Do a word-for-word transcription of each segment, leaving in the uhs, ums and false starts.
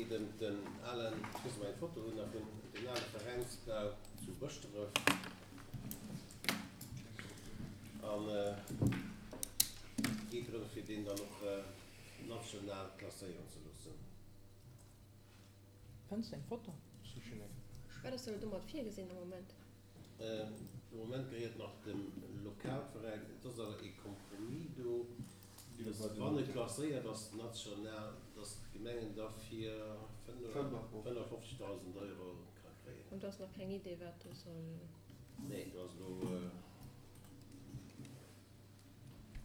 geet ëm den alen, ech weess net, ob mer eng Foto hunn nach vun dem ale Veräinsbau zu Bëschdref. An et geet drëm, fir deen dann och national klasséieren ze loossen. Fënns de eng Foto? Wat ass dann domat virgesinn am Moment? De Moment gehéiert nach dem Lokalveräin. Et ass awer ee Compromis do, dass wann e klasséiert ass national, dass d'Gemengen da fir fënnefofzegdausend Euro ka kréien. An do ass nach keng Idee wat do soll. Nee, do ass elo,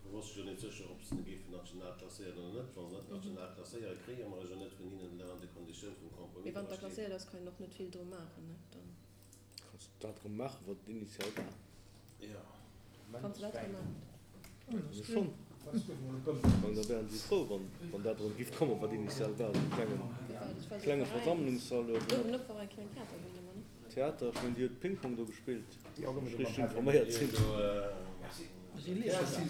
do ass sech jo net sécher, ob se e géifen national klasséieren oder net. Wa se net national klasséieren, kréie mer e jo net vun hinnen, dat an de Konditioun vum Compromis Mee wann dra da steet. klasséiert ass, kann een och net vill dru maachen, ne? Dann. Kanns du dat erëm maachen, wat et initial war? Jo. Kanns du dat erëm maachen? Schonn. Well da wären si frou, wann, wann dat erëm giff kommen, wat initial war, esou e klenge, klenge Versammlungssall oder Theater. Ech mengen, Dir hutt Ping-Pong do gespillt, wann ech richteg informéiert sinn.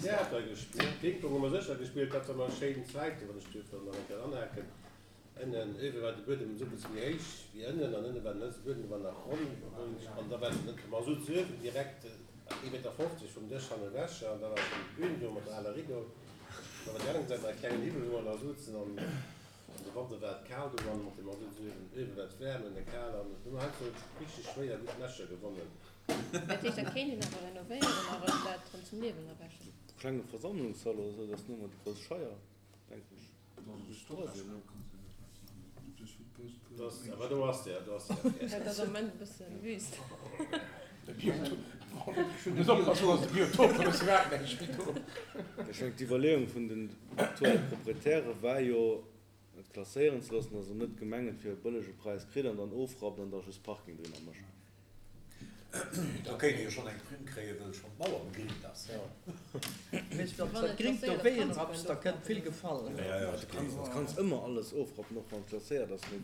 Theater gespillt, Ping-Pong hu mer sécher gespillt, dat war mer schéin Zäiten, wann ech duerf dann nach eng Kéier anhaken. Ënnen, uewe war de Buedem esou e bësse méi héich wéi ënnen an ënne war den Buedem war nach ronn an da war den, mer souzen uewen direkt ee Meter fofzeg vum Dësch han ewech an da war schonn d'Bün do mat der aler Rideau. Da war déi aner Säit nach e klengen Hiwwel, wou mer da souzen an an de Wanter war et kal do an mat dem Masut uewen, uewe war et waarm, ënne kal an do hu mer heiansdo richteg schwéier gutt Matcher gewonnen. Dat heescht, dat kéint een awer renovéieren a rëm dat rëm zum Liewen erwächen. Klenge Versammlungssall oder esou, dat ass nëmmer déi grouss Scheier, denken ech. Awer do ass der, do ass der. Dat ass am Moment e bësse wüst. Ech mengen, d'Iwwerleeung vun den aktuelle Proprietäre war jo, et klasséieren ze loossen, dass en net d'Gemeng et fir e bëllege Präis kritt an dann ofrappt an da just Parking drinner mécht. Da kéint ee jo schonn eng Primm kréien, wëll schonn d'Mauer begringt ass. Weess, wann s dat Gringt do wéi rapps, da kënnt vill Gefall. Du kanns ëmmer alles ofrappen, och wann et klasséiert ass, mee.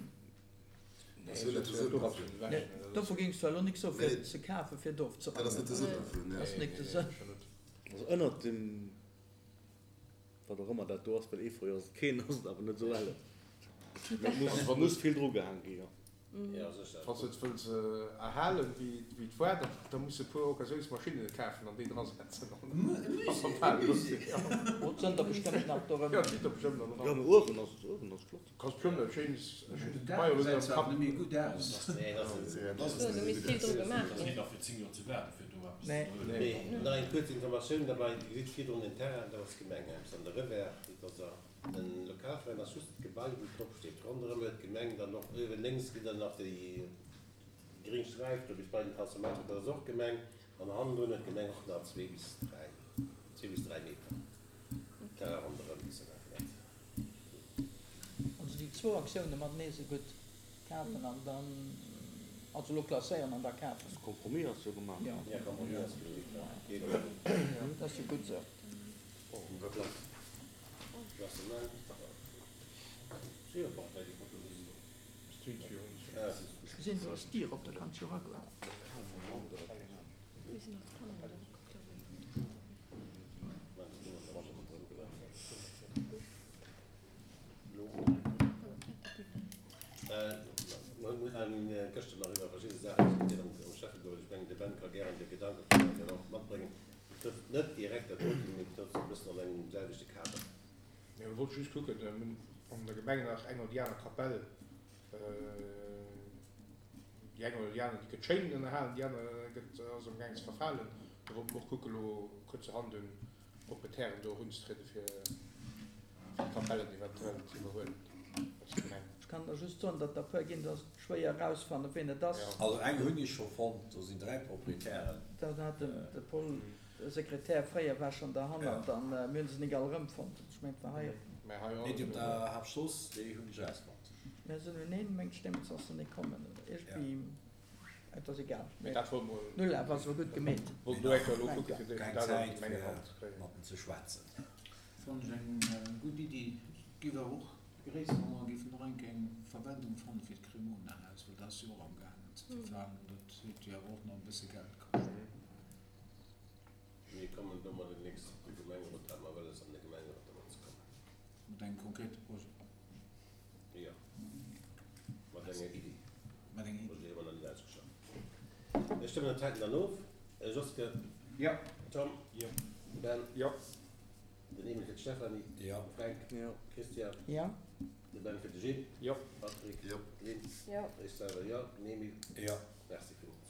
Nee, dovu géings du elo nik soen, fir et ze kafen, fir et ofzerappen. Dat ass net de Sënn dervun, nee. Dat ass nik de Sënn. Also ënnert dem, wat och ëmmer dat do ass, well Efeu ass et keen, ass et awer net esou ellen. Mee et muss vill drugehaang gi, jo. Wann s de et wëlls erhalen, wéi et war, da muss de e puer Occasiounsmaschinne kafen an déi drasetzen. E Musée. Oh, et sënn der bestëmmt nach dorëmmer. Jo, et sinn der bestëmmt nach dorëmmer. Jo, mee uewen ass et, uewen ass flott. Kanns bestëmmt e schéines Den Dag gesäit zwar net méi gutt aus. Do misst vill dru gemaach ginn. Mee nach eng kuerz Informatioun derbei, Dir gesitt virdrun den Terrain, dat ass d'Gemeng an de Revers, dat ass a. Den Lokalveräin ass just d'Gebai wou drop steet. Ronderëm huet d'Gemeng dann och uewen lénks gitt dann nach déi gréng Sträif do bis bei den Transformator, dat ass och d'Gemeng. An hannendrun huet d'Gemeng och nach zwee bis dräi, zwee bis dräi Meter Terrain ronderëm bis an dat Netz. Also déi zwou Aktioune matenee esou gutt kafen an dann, also elo klasséieren an da kafen. De Compromis ass jo gemaach. Jo, de Compromis ass gemaach. Dat ass jo gutt esou. Ech gesinn, do ass d'Dier op, da kanns jo eragoen. Gëschter nach iwwer verschidde Saachen diskutéiert am Schäfferot. Ech mengen, de Ben ka gären de Gedanke vun eis dann och matbréngen. Betrëfft net direkt dat doten, mee betrëfft e bëssen an engem selwechte Kader. Jo, ech wollt just kucken, mir hunn an der Gemeng nach eng oder déi aner Kapell, déi eng oder déi aner, déi gëtt schéin ënnerhalen, déi aner gëtt, ass am gaang ze verfalen. Do wollte mer och kucken, elo kuerzerhand un d'Proprietären do erunzetrieden, fir d'Kapellen eventuell ze iwwerhuelen als Gemeng. Ech kann der just soen, datt der e puer ginn, do ass et schwéier erausfannen, ween et ass. Also eng hunn ech scho fonnt, do sinn dräi Proprietären. Da hat de Paul, de Sekretär fréier, war schonn derhannert an mir hunn se nik all erëmfonnt. Ech mengen, et war hei op. Nee, déi op der Haaptstrooss, déi hunn ech erausfonnt. Mir sinn un een, mengt ech, deemools ass se nik kommen oder iergendwéi. Et ass egal. Mee dat wollt mol. Null awer ass awer gutt gemeet. Wollt elo eng Kéier elo kucken, fir déi Keng dat an Zäit d'Gemengerand ze fir kréien. mat en ze schwätzen. Fannen ech eng gutt Iddi. Giff awer och begréissen, wa mer géifen och eng Kéier eng Verwendung fannen fir d'Cremona-Haus, well dat ass jo och amgaangen ze verfalen an dat huet jo awer och nach e bësse Geld kascht. Mir kommen domat demnächst op de Gemengerot, hate mer wëlles an de Gemengerot domat ze kommen. Mat engem konkrete Projet? Jo. Mir stëmmen dat heiten dann of. Joske. Jo. Tom. Jo. Ben. Jo. Den Emil fir d'Stéphanie. Jo. Fränk. Jo. Christian. Jo. De Ben fir de Gilles. Jo. Patrick. Jo. Lynn. Jo. Ech selwer jo. Den Emil. Jo. Merci villmools.